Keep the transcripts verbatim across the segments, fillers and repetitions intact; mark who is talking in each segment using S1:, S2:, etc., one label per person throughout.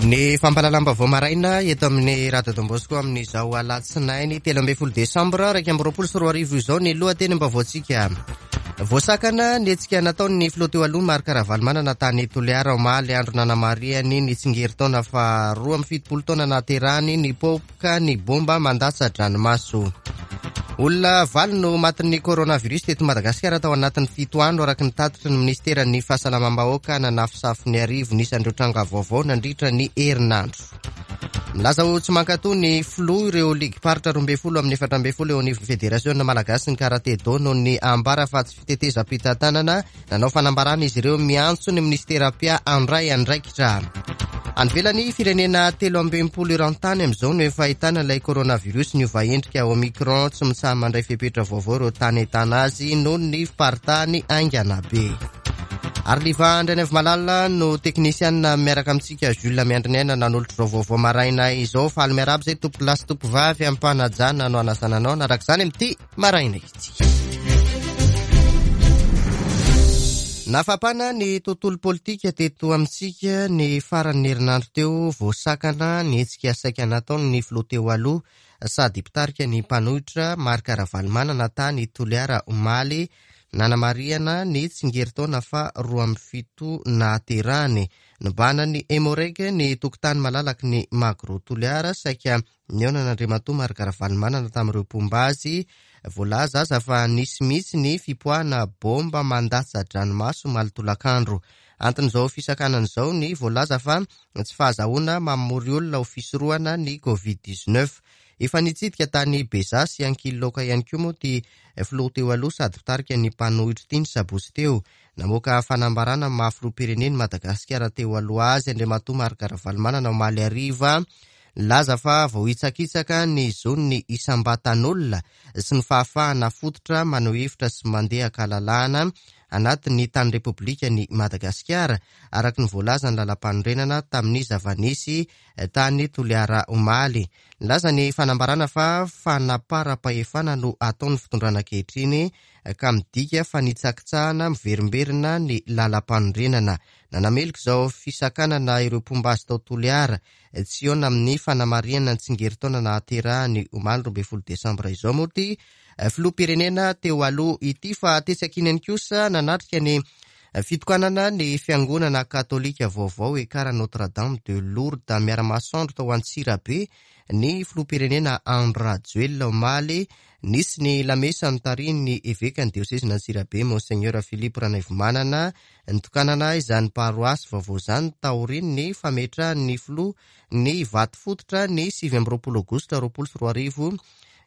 S1: Ny fampahalalam-baovao maraina eto amin'ny Radio Don Bosco amin'izao alatsinainy telo ambin'ny folo desambra iraika amby roapolo sy roa arivo izao ny lohatenim-baovaontsika. Voasakana ny hetsika nataon'ny filoha teo aloha Marc Ravalomanana tany Toliara omaly, andro nanamarihany ny tsingerin-taona faharoa amby fitopolo taona nahaterahany, nipoaka ny bomba mandatsa-dranomaso. Olona valo no matin'ny coronavirus teto Madagasikara tao anatin'ny fito andro, araka ny tatitry ny ministeran'ny fahasalamam-bahoaka. Nanafosafo ny arivo ny isan'ireo tranga vaovao nandritra ny herinandro. Milaza ho tsy mankatoa ny filoha ireo ligim-paritra roa ambin'ny folo amin'ny efatra ambin'ny folo eo anivon'ny federasiona malagasy ny karate do noho ny ambara fa tsy fitetezam-pitantanana. Nanao fanambarana izy ireo miantso ny ministera mpia handray andraikitra. Any ivelany, firenena telo amby enimpolo eran-tany amin'izao no efa ahitana ilay coronavirus niova endrika Omicron. Tsy mitsaha mandray fepetra vaovao ireo tany ahitana azy noho ny fiparitahany haingana be. Ary Liva Andrianaivomalala no teknisianina miaraka amintsika, Jules Miandriniaina nanolotra izao vaovao maraina izao. Faly miarahaba izay tompoko lahy sy tompo vavy am-panajana no anasana anao naraka izany amin'ity maraina ity. Nafapana ny tontolo politika teto amintsika ny faran'ny herinandro teo. Voasakana ny hetsika saika nataon'ny filoha teo aloha sady mpitarika ny mpanohitra Marc Ravalomanana tany Toliara omaly, nanamarihana ny tsingerin-taona fa roa amby fito nahaterahany. Nibahanan'ny Emmo-Reg ny tokotany malalaky ny Magro Toliara saika nihaonan'Andriamatoa Marc Ravalomanana tamin'ireo mpomba azy. Voalaza aza fa nisy mihitsy ny fipoahana bomba mandatsa-dranomaso omaly tolakandro. Anton'izao fisakanana izao ny voalaza fa tsy fahazahoana mamory olona ho fisorohana ny covid dix-neuf. Efa nitsidika tany Beza sy Ankililoaka ihany koa moa ity filoha teo aloha sady mpitarika ny mpanohitra ity ny sabotsy teo. Namoaka fanambarana maha filoham-pirenen'i Madagasikara teo aloha azy Andriamatoa Marc Ravalomanana omaly hariva. Nilaza fa voahitsakitsaka ny zon'ny isam-batan'olona sy ny fahafahana fototra maneho hevitra sy mandeha an-kalalahana anatin'ny tany Repoblikan'i Madagasikara, araka ny voalazan'ny lalam-panorenana tamin'ny zava-nisy tany Toliara omaly. Nilaza ny fanambarana fa fanaparam-pahefana no ataon'ny fitondrana ankehitriny ka midika fanitsakitsahana miverimberina ny lalam-panorenana. Nanameloka izao fisakanana ireo mpomba azy tao Toliara tsy hihaona amin'ny fanamarihana ny tsingerin-taona nahaterahany omaly roa ambin'ny folo desambra izao moa ity filoham-pirenena teo aloha ity. Fa tetsy ankinany kosa nanatrika ny fitokanana ny fiangonana katolika vaovao Ekara Notre Dame de Lourdes miara-masoandro tao Antsirabe ny filoham-pirenena Andry Rajoelina omaly. Nisy ny lamesa notarihin'ny evekan'ny diosezin'Antsirabe Monseigneur Philippe Ranaivomanana nitokanana izany paroasy vaovao izany taorian'ny fametrahan'ny filoha ny vato fototra ny sivy amby roapolo aogositra roapolo sy roa arivo.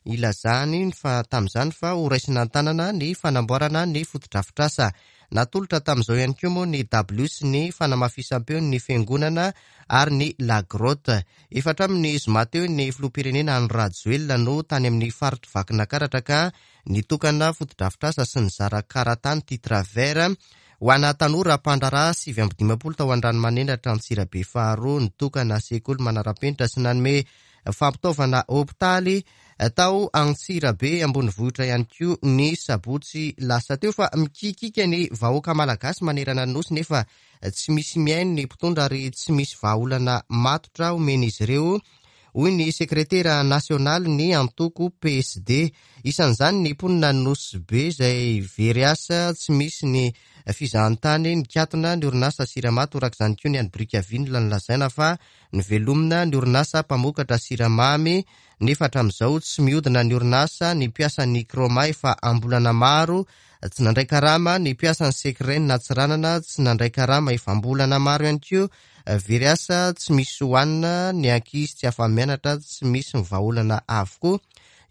S1: Ilazany fa tamin'izany fa ho raisina an-tanana ny fanamboarana ny fotodrafitrasa. Natolotra tamin'izao ihany koa moa ny dabilio sy ny fanamafisam-peon'ny fiangonana ary ny La Grotte. Efa hatramin'ny zoma teo ny filoham-pirenena Andry Rajoelina no tany amin'ny faritry Vakinankaratra ka nitokana fotodrafitrasa sy nizara karatany titre vert ho ana tanora mpandraharaha sivy amby dimampolo tao Andranomanelatra Antsirabe faharoa, nitokana sekoly manara-penitra sy nanome fampitaovana hopitaly tao Antsirabe ambonivohitra ihany koa ny sabotsy lasa teo. Fa mikikika ny vahoaka malagasy manerana ny nosy nefa tsy misy mihaino ny mpitondra ary tsy misy vahaolana matotra omen'izy ireo, hoy ny sekretera nasionaly ny antoko P S D. Isan'izany ny mponina Nosy Be izay very asa, tsy misy ny fizahantany, nikatona ny orinasa Sirama, torak'izany koa ny any Brickaville nolazaina fa nivelomina ny orinasa mpamokatra siramamy, nefa hatramin'izao tsy mihodina ny orinasa. Ny mpiasan'ny Croma efa am-bolana maro tsy nandray karama, ny mpiasan'ny Secren Antsiranana tsy nandray karama efa am-bolana maro ihany koa, very asa tsy misy hohanina, ny ankizy tsy afa-mianatra, tsy misy ny vahaolana avokoa.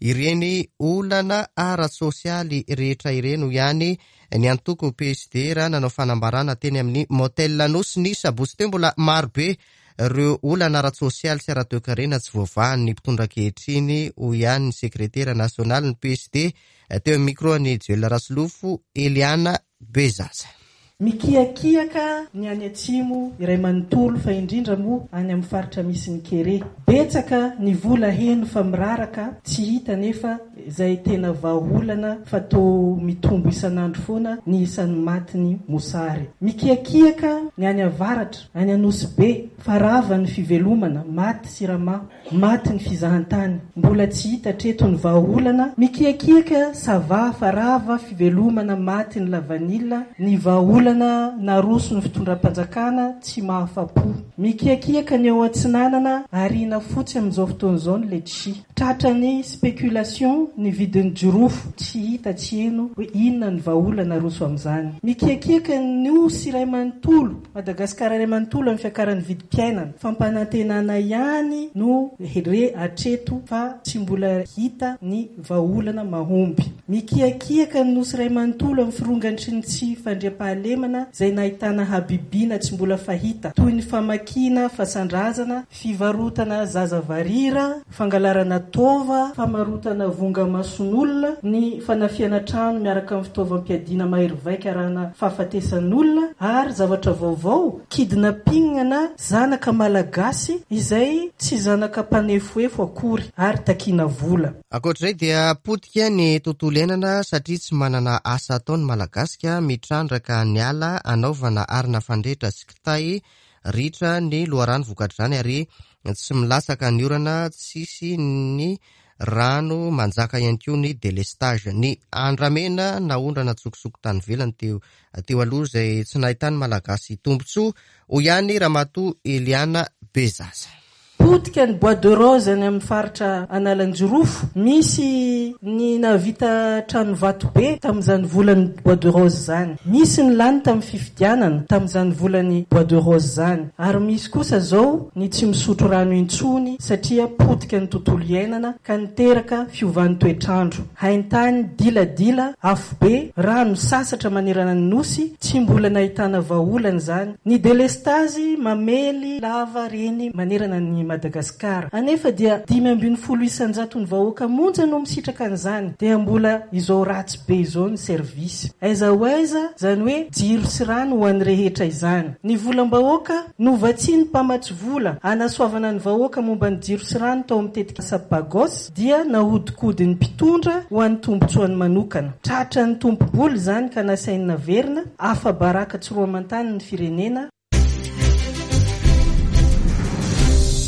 S1: Ireny olana ara-tsosialy rehetra ireny hoy ihany ny antoko P S D raha nanao fanambarana teny amin'ny Motel Nosy ny sabotsy teo. Mbola marobe ireo olana ara-tsosialy sy ara-toekarena tsy voavahan'ny mpitondra ankehitriny, hoy ihany ny sekretera nasionaly ny P S D teo amin'ny micro an'i Joel Rasolofo Eliana Bezaza.
S2: Mikiakiaka ny any atsimo iray manontolo, fa indrindra moa any amin'ny faritra misy ny kere. Betsaka ny vola heno fa miraraka, tsy hita nefa izay tena vahaolana, fa to mitombo isan'andro foana ny isan'ny matiny mosary. Mikiakiaka ny any avaratra, any Anosy Be, fa rava ny fivelomana, maty sirama, maty ny fizahantany, mbola tsy hita hatreto ny vahaolana. Mikiakiaka Sava, fa rava fivelomana, maty ny lavanila, ny vahaolana naroso ny fitondram-panjakana tsy mahafa-po. Mikiakiaka ny ao Atsinanana, arina fotsy amin'izao fotoana izao ny letchi. Tratra ny spéculation ny vidin'ny jirofo, tsy hita tsy heno hoe inona ny vahaolana aroso amin'izany. Mikiakiaka ny nosy iray manontolo, Madagasikara iray manontolo, amin'ny fiakaran'ny vidim-piainana. Fampanantenana ihany no re hatreto fa tsy mbola hita ny vahaolana mahomby. Mikiakiaka ny nosy iray manontolo amin'ny firongatry ny tsy fandriampahalemana izay nahitana habibiana tsy mbola fahita, toy ny famakiana fasandrazana, fivarotana zaza varira, fangalarana taova, famarotana vonga-mason'olona, ny fanafiana trano miaraka amin'ny fitaovam-piadiana mahery vaika arahana fahafatesan'olona, ary zavatra vaovao, kidnapping na zanaka malagasy izay tsy zanaka mpanefoefo akory ary takiana vola.
S1: Ankoatr'izay dia potika ny tontolo iainana satria tsy manana asa atao ny Malagasy ka mitrandraka ny ala anaovana arina fandrehitra sy kitay, ritra ny loharano vokatr'izany ary tsy milatsaka ny orana, tsisy ny rano, manjaka ihany koa ny délestage. Ny andramena naondrana tsokosoko tany ivelany teo teo aloha izay tsy nahitany Malagasy tombontsoa, hoy ihany Ramatoa Eliana Bezaza.
S2: Potika ny bois de rose any amin'ny faritra Analanjirofo. Misy ny nahavita trano vato be tamin'izany volan'ny bois de rose izany. Misy ny lany tamin'ny fifidianana tamin'izany volan'ny bois de rose izany. Ary misy kosa zao ny tsy misotro rano intsony satria potika ny tontolo iainana ka niteraka fiovan'ny toetrandro. Haintany, diladila, afobe, rano sasatra manerana ny nosy, tsy mbola nahitana vahaolana izany. Ny délestage mamely lava reny manerana ny Madagasikara. Anefa dia dimy ambin'ny folo isan-jato ny vahoaka monja no misitraka an'izany, dia mbola izao ratsy be izao ny service. Aiza ho aiza izany hoe jiro sy rano ho an'ny rehetra izany. Ny volam-bahoaka novatsian'ny mpamatsy vola anasoavana ny vahoaka momba ny jiro sy rano tao amin'ny tetikasa Pagos dia nahodikodin'ny mpitondra ho an'ny tombontsoany manokana. Tratra ny tompom-bola izany ka nasainy naverina, afa-baraka tsy roa aman-tany ny firenena.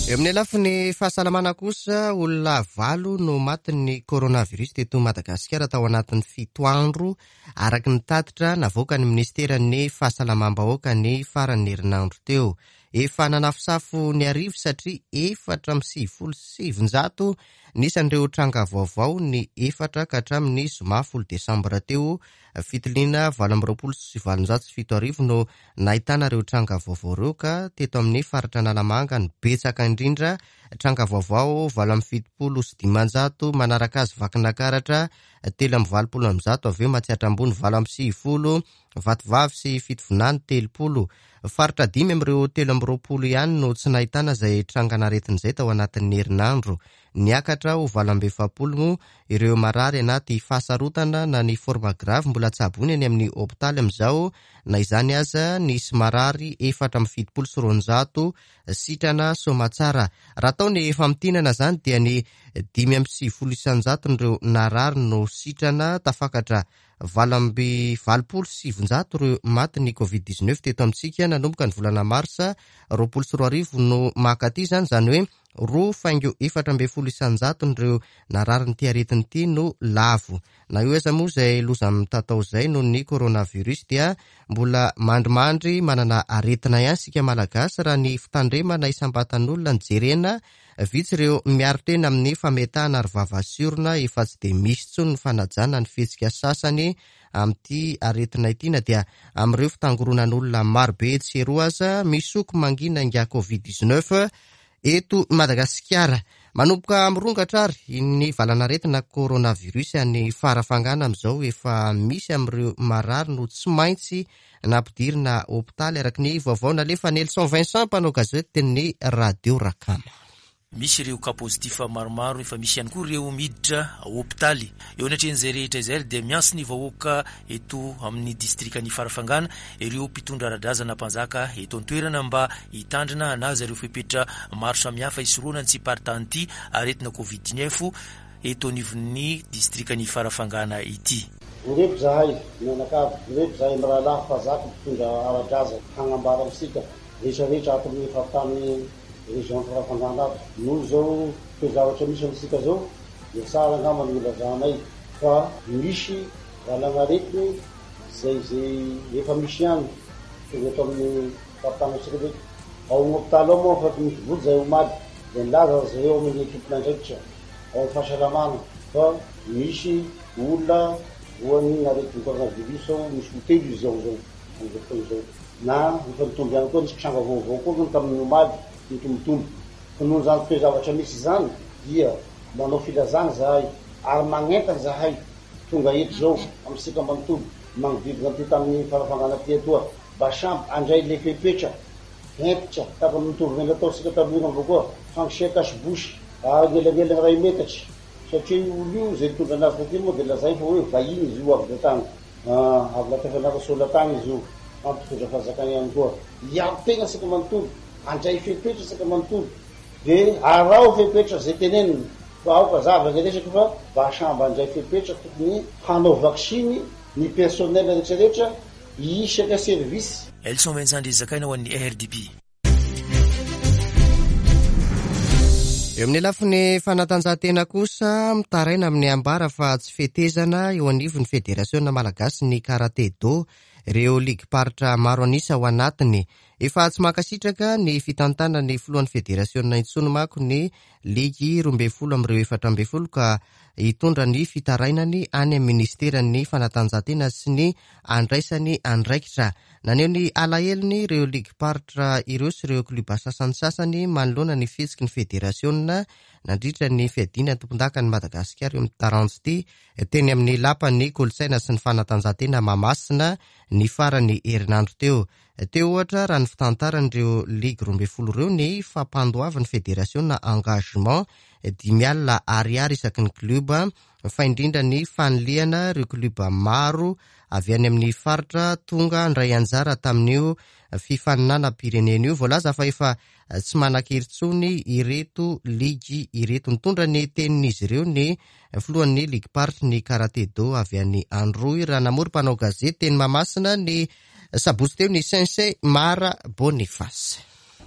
S1: Eo amin'ny lafiny fahasalamana kosa, olona valo no matin'ny coronavirus teto Madagasikara tao anatin'ny fito andro, araka ny tatitra navoakan'ny ministeran'ny fahasalamam-bahoaka ny faran'ny herinandro teo. Efa nanafosafo ny arivo satria efatra amby sivifolo sy sivinjato ny isan'ireo tranga vaovao ny efatra ka hatramin'ny zoma folo desambra teo. Fitiliana valo amby roapolo sy valonjato sy fito arivo no nahitana ireo tranga vaovao ireo, ka teto amin'ny faritra Analamanga no betsaka indrindra, tranga vaovao valo amby fitopolo sy dimanjato, manaraka azy Vakinakaratra telo amby valopolo amby zato, avy eo Matsiatra Ambony valo amby sivifolo, Vatovavy sy Fitovinany telopolo. Faritra dimy amin'ireo telo amby roapolo ihany no tsy nahitana izay trangan'aretina izay tao anatin'ny herinandro. Niakatra ho valo amby efapolo moa ireo marary anaty fahasarotana na ny forme grave mbola tsaboina eny amin'ny hopitaly amin'izao. Na izany aza, nisy marary efatra amby fitopolo sy roanjato sitrana soamatsara. Raha atao ny famintinana izany dia ny dimy amby sivifolo isan-jaton'ireo narary no sitrana, tafakatra valo amby valopolo sy sivinjato ireo maty ny covid dix-neuf teto amintsika nanomboka ny volana marsa roapolo sy roa arivo no makaty izany, izany hoe roa faingo efatra ambin'ny folo isan-jaton'ireo nararin'ity aretina ity no lavo. Na eo aza moa izay loza mitatao izay noho ny coronavirus dia mbola mandrimandry manana aretina ihany isika Malagasy raha ny fitandremana isam-batan'olona no jerena. Vitsy ireo miaro tena amin'ny fametahana ary vava sy orona, efa tsy dia misy intsony ny fanajana ny fihetsika sasany amin'ity aretina ity, na dia amin'ireo fitangoronan'olona marobe etsy sy eroa aza. Misoko mangina ingahy covid dix-neuf eto Madagasikara. Manomboka mirongatra ary ny valan'aretina coronavirus any Farafangana amin'izao. Efa misy amin'ireo marary no tsy maintsy nampidirina hopitaly, araka ny vaovao nalefa Nelson Vincent, mpanao gazety ny Radio Rakama.
S3: Misy ireo cas positif maromaro, efa misy ihany koa ireo miditra hopitaly. Eo anatrehan'izay rehetra izay dia miantso ny vahoaka eto amin'ny distrikan'i Farafangana ireo mpitondra ara-drazana mpanjaka eto an-toerana mba hitandrina hanaja ireo fepetra maro samihafa hisorohana ny tsy hiparitahan'ity aretina covid dix-neuf eto anivon'ny distrikan'i Farafangana ity.
S4: Ireto zahay mianakavy, ireto zahay mirahalahy mpanjaka mpitondra ara-drazana hagnambara amintsika rehetrarehetra ato amin'ny faritany région Farafangana ato. Noho izao toe-javatra misy amintsika zao dia tsara angamba ny ilazanay fa misy valanaretina zay zay efa misy ihany tonga eto amin'ny faritany antsika rehetra. Ao amin'ny hopitaly ao moa fa misy voly zay omaly dia nilaza zareo amin'ny tompon'andraikitra ao amin'ny fahasalamana fa misy olona voan'ny aretina coronavirus ao, misy hotely izy ao zao amin'izao fotoana izao. Na efa nitombo ihany koa, nisy tranga vaovao koa tamin'ny omaly nitombotombo. Fa noho izany toe-javatra misy izany dia manao filazana zahay ary magnentana zahay tonga eto zao amintsika manontolo magnodidina aty tamin'ny Farafangana aty atoa mba samby handray le fepetra hentitra tahaka ny mitovy ny nataontsika taloha avao koa, fangisea cache-bouche ary elanelana iray metatra, satria io olo io zay nitondra anazy taty moa dia lazainy fa hoe vahiny izy io avy tany, avy Latafianarantsoa tany izy io, mampitondra fanjakana ihany koa. Hiaro tena isika manontolo, handray fepetra isika manontolo, dia araho fepetra zay tenenina fa aoka zava ny resaka fa mba samby handray fepetra tokony hanao vaksiny ny personnel rehetrarehetra isaka service.
S3: Elson Vincent Zakaina ho an'ny R D P.
S1: Eo amin'ny lafiny fanatanjahantena kosa, mitaraina amin'ny ambara fa tsy fetezana eo anivon'ny Federasiona Malagasy ny Karate Do, ireo ligim-paritra maro an'isa ao anatiny. Efa tsy mankasitraka ny fitantanan'ny filohan'ny Federasiona intsony manko ny ligy roa ambin'ny folo amin'ireo efatra ambin'ny folo ka hitondra ny fitarainany any amin'ny ministeran'ny fanatanjahantena sy ny andraisany andraikitra. Naneho ny alahelony ireo ligim-paritra ireo sy ireo klioba sasantsasany manoloana ny fihetsiky ny Federasiona nandritra ny fiadiana ny tompondakan'i Madagasikara eo amin'ny taranja ity teny amin'ny lapan'ny kolontsaina sy ny fanatanjahantena Mahamasina ny farany herinandro teo. Teo ohatra raha ny fitantaran'ireo ligy roa ambin'ny folo ireo ny fampandoavan'ny Federasiona engagement dimy alina ariary isaky ny klioba, fa indrindra ny fanilihana ireo klioba maro avy any amin'ny faritra tonga handray anjara tamin'io fifaninanam-pirenena io. Voalaza fa efa tsy manan-kery intsony ireto ligy ireto. Nitondra ny tenin'izy ireo ny filohan'ny ligim-paritry ny Karate Do avy any Androy raha namory mpanao gazety teny Mahamasina ny sabotsy teo ny Sensei Mara Boniface.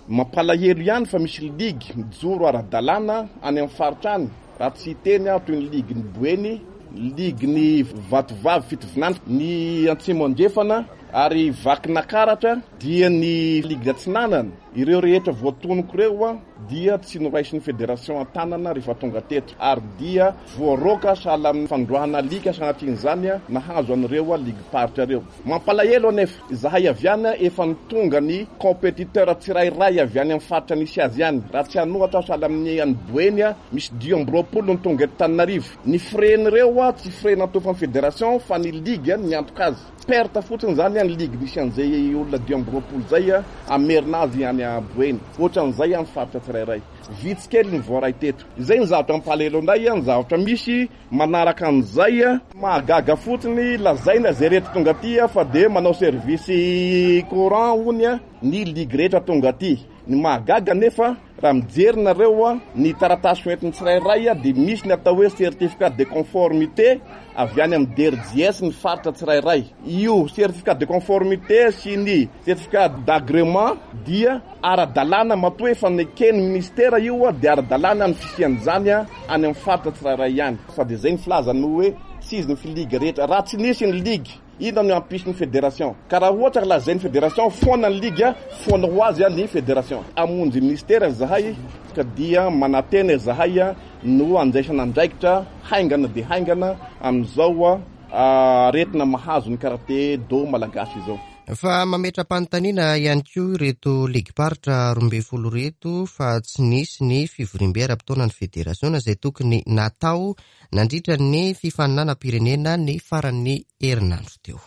S5: Mampalahelo ihany fa misy ligy mijoro ara-dalàna any amin'ny faritra any, raha tsy hiteny aho toy ny ligin'ny Boeny, ligin'ny Vatovavy Fitovinany, ny Antsimo Andrefana ary Vakinakaratra, dia ny ligy Atsinanana. Ireo rehetra voatonoko ireo dia tsy noraisin'ny Fédération an-tanana rehefa tonga teto, ary dia voaroaka sahala amin'ny fandroahana alika sanatrian'izany nahazo an'ireo ligim-paritra ireo. Mampalahelo anefa izahay avy any efa nitonga ny compétiteur tsirairay avy any amin'ny faritra nisy azy ihany. Raha tsy hanohatra sahala amin'ny any Boeny, misy dimy amby roapolo no tonga eto Tananarivo. Ny frais-n'ireo tsy frais nataon'ny Fédération fa ny ligue niantoka azy. Perte fotsiny zany ny ligue misy an'izay olona dimy amby roapolo izay hamerina azy any Boeny. Ohatran'izay amin'ny faritra tsirairay. Vitsy kely ny voaray teto. Izay ny zavatra mampalahelo anay, ny zavatra misy manaraka an'izay. Mahagaga fotsiny lazaina izay rehetra tonga aty fa dia manao service courant hony ny ligue rehetra tonga aty. Ny mahagaga nefa raha mijery nareo ny taratasy hoentin'ny tsirairay dia misy ny atao hoe certificat de conformité avy any amin'ny D R J S ny faritra tsirairay. Io certificat de conformité sy ny certificat d'agrément dia ara-dalàna, matoa efa neken'ny ministera io dia ara-dalàna ny fisian'izany any amin'ny faritra tsirairay ihany. Fa dia izay ny filazany hoe tsy izy ny ligue rehetra. Raha tsy nisy ny ligue, inona no hampisy ny fédération? Ka raha ohatra ka lazain'ny fédération foana ny ligue, foana ho azy ny fédération. Hamonjy ministera zahay ka dia manantena zahay no andraisana andraikitra haingana dia haingana amin'izao aretina mahazo ny karate do malagasy izao.
S1: Fa mametra-panontaniana ihany koa ireto ligim-paritra roa ambin'ny folo ireto fa tsy nisy ny fivoriambe ara-potoanan'ny federasiona izay tokony natao nandritra ny fifaninanam-pirenena ny faran'ny herinandro teo.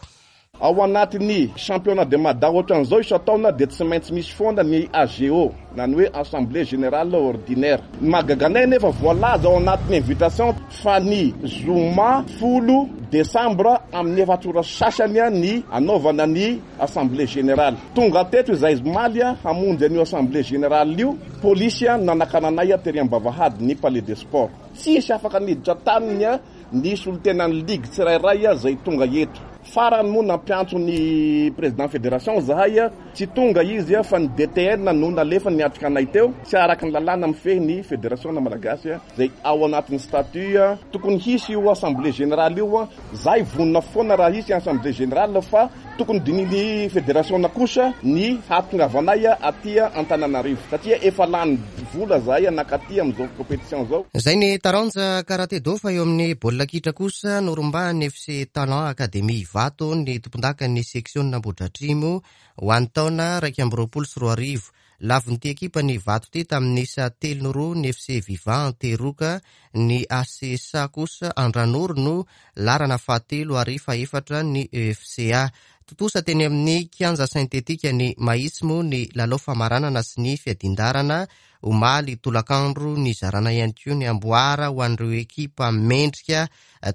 S5: Ao anatin'ny championnat de Mada ohatran'izao isan-taona dia tsy maintsy misy foana ny A G O na ny hoe assemblée générale ordinaire. Ny mahagaga anay nefa voalaza ao anatin'ny invitation fa ny zoma folo desambra amin'ny efatra ora sasany ny anaovana ny assemblée générale. Tonga teto izay omaly hamonjy an'io assemblée générale io, polisy nanakananay tery am-bavahady ny palais des sports. Tsisy afaka niditra taminy ny solontenan'ny ligue tsirairay izay tonga eto. Farany moa nampiantso ny président fédération zahay, tsy tonga izy fa ny D T N no nalefa niatrika anay teo. Tsy araka ny lalàna mifehy ny fédération malagasy izay ao anatin'ny statut. Tokony hisy io assemblée générale io, zahay vonona foana raha hisy assemblée générale fa tokony dininy fédération kosa ny hahatongavanay aty Antananarivo satria efa lany vola zahay anakaty amin'izao compétition zao.
S1: Zay ny taranja karate do fa eo amin'ny baolina kitra kosa norombahan'ny F C Talent Academy Ivato ny tompondakan'ny section Ambohidratrimo ho an'ny taona iraika amby roapolo sy roa arivo. Lavon'ity ekipa ny Ivato ity tamin'ny isa telo roa ny F C Viva Anteroka, ny A C S A kosa Andranoro no larana fahatelo ary fahefatra ny E F C A. Tontosa teny amin'ny kianja sintetika ny Mahitsy moa ny lalao famaranana sy ny fiadindarana omaly tolakandro. Nizarana ihany koa ny amboara ho an'ireo ekipa mendrika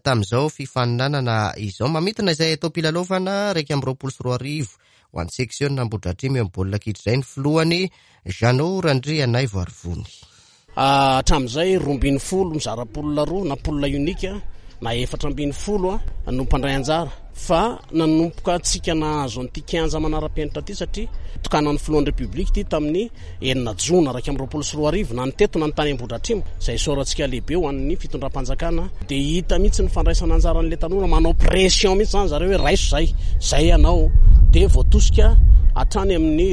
S1: tamin'izao fifaninanana izao. Mamintina izay atao pilalaovana iraika amby roapolo sy roa arivo ho an'ny section Ambohidratrimo eo amin'ny baolina kitra izay ny filohany Jeannot Randrianaivoarivony.
S6: Hatramin'izay roa ambin'ny folo mizara poule roa na poule unique na efatra ambin'ny folo no mpandray anjara, fa nanomboka antsika nahazo an'ity kianja manara-penitra ity satria tokanan'ny filohan'ny République ity tamin'ny enina jona iraika amby roapolo sy roa arivo na ny teto na ny tany Ambohidratrimo, izay isaorantsika lehibe ho an'ny fitondram-panjakana. Dia hita mihitsy ny fandraisana anjaran'ilay tanora, manao pression mihitsy zany zareo hoe raiso zay, zay ianao, dia voatosika hatrany amin'ny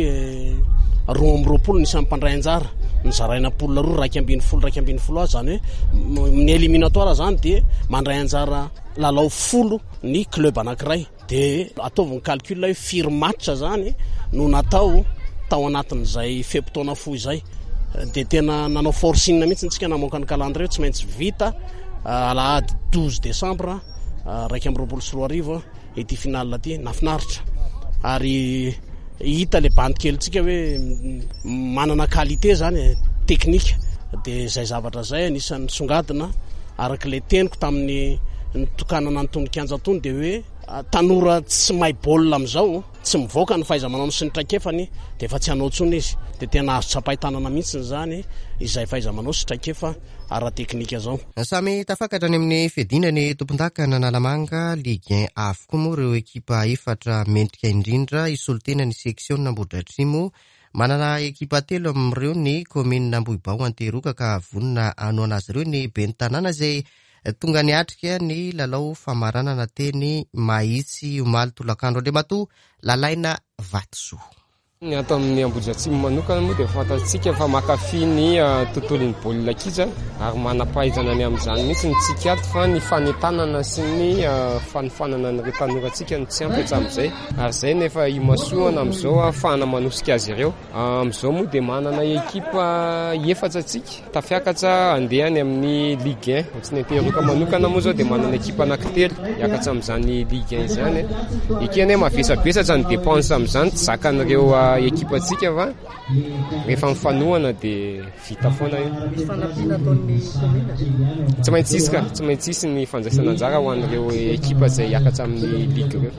S6: roa amby roapolo ny isan'ny mpandray anjara. Nizaraina poule roa, iraika ambin'ny folo, iraika ambin'ny folo azy, zany hoe ny éliminatoire zany dia mandray anjara lalao folo ny club anankiray. Dia ataovy ny calcul hoe firy match zany no natao tao anatin'izay fe-potoana fohy izay. Dia tena nanao forcing mihitsy ntsika namoaka ny calendrier, tsy maintsy vita alahady douze décembre iraika amby roapolo sy roa arivo ity finale ity. Nafinaritra ary hita le bandy kelintsika hoe manana qualité zany teknika, dia izay zavatra izay anisan'ny songadina araka ilay teniko tamin'ny nitokanana ny tony kianja tony, dia hoe tanora tsy mahay baolina amin'izao, tsy mivoaka ny fahaiza-manao sy ny traikefany, dia efa tsy hanao intsony izy. Dia tena azo tsapain-tanana mihitsy izany izay fahaiza-manao sy traikefa ara-teknika zao.
S1: Samy tafakatra any amin'ny fiadiana ny tompondaka Analamanga Ligue un avokoa moa ireo ekipa efatra mendrika indrindra hisolo-tena ny section Ambohidratrimo. Manana ekipa telo amin'ireo ny commune Ambohibao Anteroka ka vonona hanohana azy ireo ny ben'ny tanàna izay tonga niatrika ny lalao famaranana teny Mahitsy omaly tolakandro. Andriamatoa Lalaina Vatosoa.
S7: Ny ato amin'ny Ambohidratrimo manokana moa dia fantatsika fa mankafy ny tontolon'ny baolina kitra ary manam-pahaizana ny amin'izany mihitsy ny tsika ato, fa ny fanentanana sy ny fanofanana an'ireo tanorantsika no tsy ampy hatramin'izay, ary izay no efa imasoana amin'izao ahafahana manosika azy ireo. Amin'izao moa dia manana ekipa efatra tsika tafiakatra andeha any amin'ny Ligue un. Tsy ny Anteroka manokana moa izao dia manana ekipa anankitelo hiakatra amin'izany Ligue un izany. Ekena hoe mavesabesatra ny dépense amin'izany, tsy zakan'ireo ekipantsika fa rehefa mifanohana dia vita foana io.
S2: Misy fanampiana ataon'ny commune?
S7: Tsy maintsy hisy ka, tsy maintsy hisy ny fandraisana anjara ho an'ireo ekipa izay hiakatra amin'ny ligue ireo.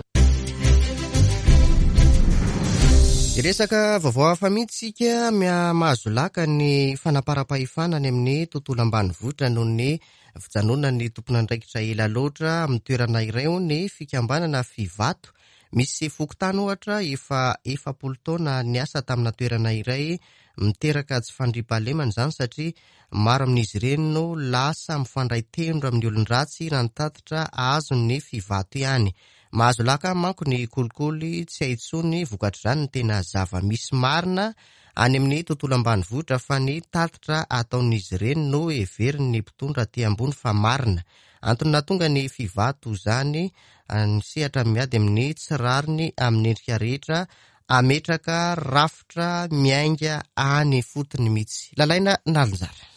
S1: Resaka vaovao hafa mihitsy isika, mahazo laka ny fanaparam-pahefana any amin'ny tontolo ambanivohitra noho ny fijanonan'ny tompon'andraikitra ela loatra amin'ny toerana iray eo ny fikambanana Fivato. Misy fokontany ohatra efa efapolo taona niasa tamina toerana iray, miteraka tsy fandriampahalemana izany satria maro amin'izy ireny no lasa mifandray tendro amin'ny olon-dratsy raha ny tatitra azon'ny Fivato ihany. Mahazo laka manko ny kolikoly tsy hay intsony vokatr'izany ny tena zava-misy marina any amin'ny tontolo ambanivohitra fa ny tatitra ataon'izy ireny no heverin'ny mpitondra aty ambony fa marina. Antony nahatonga ny Fivato izany ny sehatra miady amin'ny tsy rariny amin'ny endrika rehetra ametraka rafitra miainga any fotony mihitsy. Lalaina Nalinjara.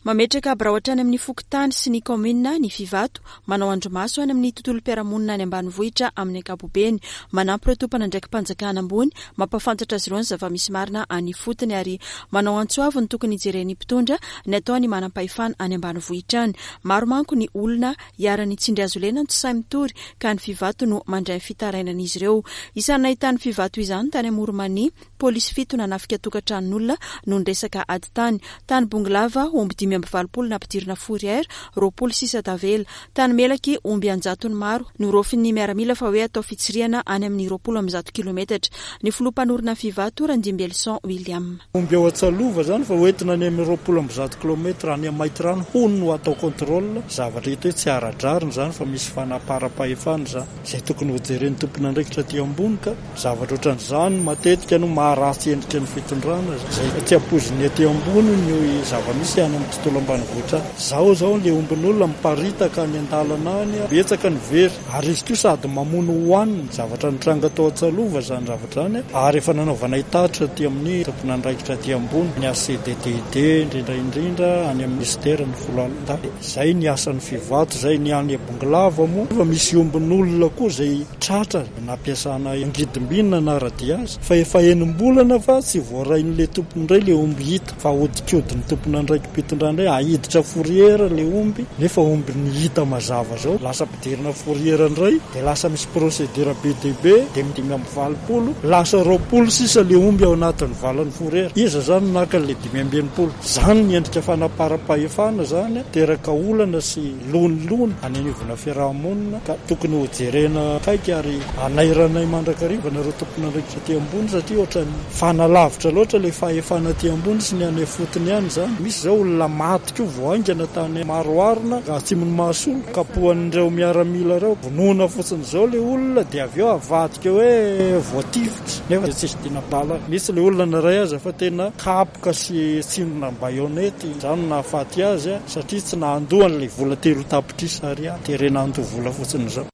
S8: Mametraka birao hatrany amin'ny fokontany sy ny kaominina ny Fivato, manao andrimaso any amin'ny tontolom-piarahamonina any ambanivohitra amin'ny ankapobeny, manampy ireo tompon'andraiki-panjakana ambony, mampahafantatra azy ireo ny zava-misy marina any ifotony ary manao antso avo ny tokony hijeren'ny mpitondra ny ataony manam-pahefana any ambanivohitra any. Maro manko ny olona iharan'ny tsindry hazo lena no tsy sahy mitory ka ny Fivato no mandray fitarainan'izy ireo. Isan'ny nahitan'ny Fivato izany tany Amoron'i-Mania, polisy fito nanafika tokantranon'olona noho ny resaka ady tany. Tany Bongolava, omby dimy amby valopolo nampidirina fourrière, roapolo sisa tavela. Tany Melaky, omby an-jatony maro norofin'ny miaramila fa hoe atao fitsirihana any amin'ny roapolo amby zato kilometatra. Ny filoha mpanorina Fivato, Randimbelson William.
S9: Omby ao Antsalova zany fa hoentina any amin'ny roapolo amby zato kilometatra any Maintirano hono no atao contrôle. Zavatra hita hoe tsy ara-drariny zany fa misy fanaparam-pahefana zany. Izay tokony hojeren'ny tompon'andraikitra aty ambony ka zavatra ohatran'izany matetika no maharatsy endrika ny fitondrana. Izay tsy ampoizin'ny aty ambony ny zava-misy any amin'ny tontolo ambanivohitra. Zao zao le ombin'olona miparitaka any an-dalana any, betsaka ny very ary izy koa sady mamono hohaniny. Zavatra nitranga tao Antsalova zany zavatra zany ary efa nanaovana hitatitra aty amin'ny tompon'andraikitra aty ambony, ny H C D T I D indrindra indrindra any amin'ny ministera ny foloalindahy. Zay ny asan'ny Fivato, zay ny any Bongolava moa. Efa misy ombin'olona koa zay tratra nampiasana angidim-bina nanara-dia azy fa efa enim-bolana fa tsy voarain'ilay tompony indray le omby hita fa ahodikodin'ny tompon'andraiki-pitondrana indray ahiditra fourrière le omby nefa omby ny hita mazava zao lasa ampidirina fourrière indray dia lasa misy procédure be dia be dia dimy amby valopolo lasa roapolo sisa le omby ao anatin'ny valan'ny fourrière. Iza zany naka le dimy amby enimpolo? Zany ny endrika fanaparam-pahefana zany teraka olana sy lonilony any anivona fiarahamonina ka tokony hojerena akaiky ary anairanay mandrakariva nareo tompon'andraikitra aty ambony satria ohatran'ny fanalavitra loatra le fahefana aty ambony sy ny any fotony ihany zany. Misy zao olona maty koa voaingana tany Maroarina atsimon'ny Mahasolo kapohan'ireo miaramila ireo, vonoana fotsiny zao le olona dia avy eo avadika hoe voatifitra nefa tsisy dina bala. Misy le olona naray aza fa tena kapoka sy tsindrona baïonnette zany no nahafaty azy satria tsy nahandoa an'ilay vola telo tapitrisa ariary, terena handoa vola fotsiny zao.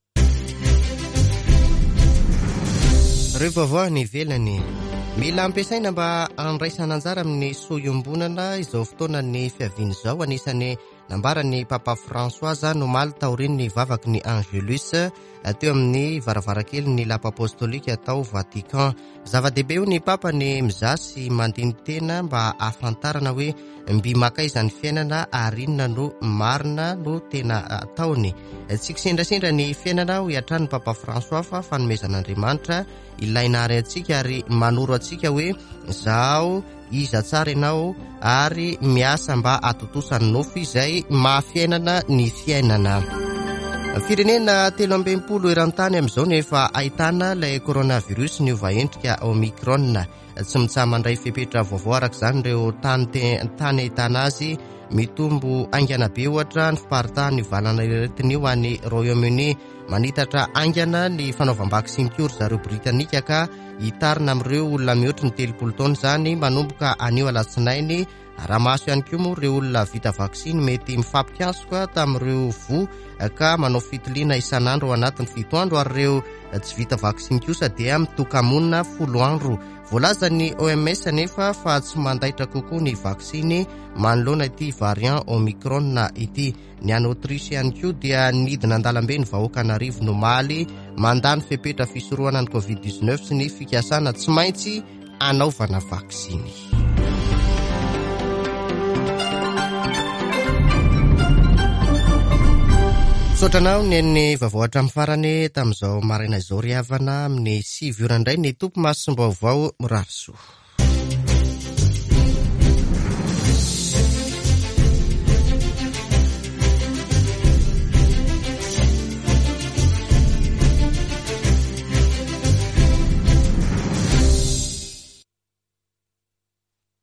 S1: Ireo vaovao any ivelany. Mila ampiasaina mba handraisana anjara amin'ny soa iombonana izao fotoanan'ny fiaviana izao. Anisan'ny nambaran'ny Papa François omaly taorian'ny vavaky ny Angelus teo amin'ny varavarankely ny lapa apostolika tao Vatican. Zava-dehibe io ny Papa ny mizaha sy mandini-tena mba hahafantarana hoe mby makaiza ny fiainana ary inona no marina no tena ataony. Tsy kisendrasendra ny fiainana hoy hatrany Papa François fa fanomezan'Andriamanitra ilaina ary antsika ary manoro antsika hoe zaho iza tsara ianao ary miasa mba hatontosa ny nofy izay mahafiainana ny fiainana. Firenena telo amby enimpolo eran-tany amin'izao no efa ahitana ilay coronavirus niova endrika Omicron. Tsy mitsaha-mandray fepetra vaovao araka izany ireo tany tany ahitana azy. Mitombo haingana be ohatra ny fiparitahan'ny valanaretina io any Royaume-Uni. Manitatra haingana ny fanaovam-baksiny koa ry zareo Britanika ka hitarina amin'ireo olona mihoatry ny telopolo taona izany manomboka anio alatsinainy. Raha maso ihany koa moa ireo olona vita vaksiny mety mifampikasoka tamin'ireo voa ka manao fitiliana isan'andro ao anatin'ny fito andro ary ireo tsy vita vaksiny kosa dia mitoka-monina folo andro. Voalazan'ny O M S anefa fa tsy mandaitra kokoa ny vaksiny manoloana ity variant Omicron ity. Ny any Autriche ihany koa dia nidina an-dalambe ny vahoaka an'arivo nomaly mandany fepetra fisorohana ny covid dix-neuf sy ny fikasana tsy maintsy anaovana vaksiny. Misaotra anao ny an'ny vaovao hatramin'ny farany tamin'izao maraina izao ry havana amin'ny sivy ora indray ny tompo masom-baovao mirary soa.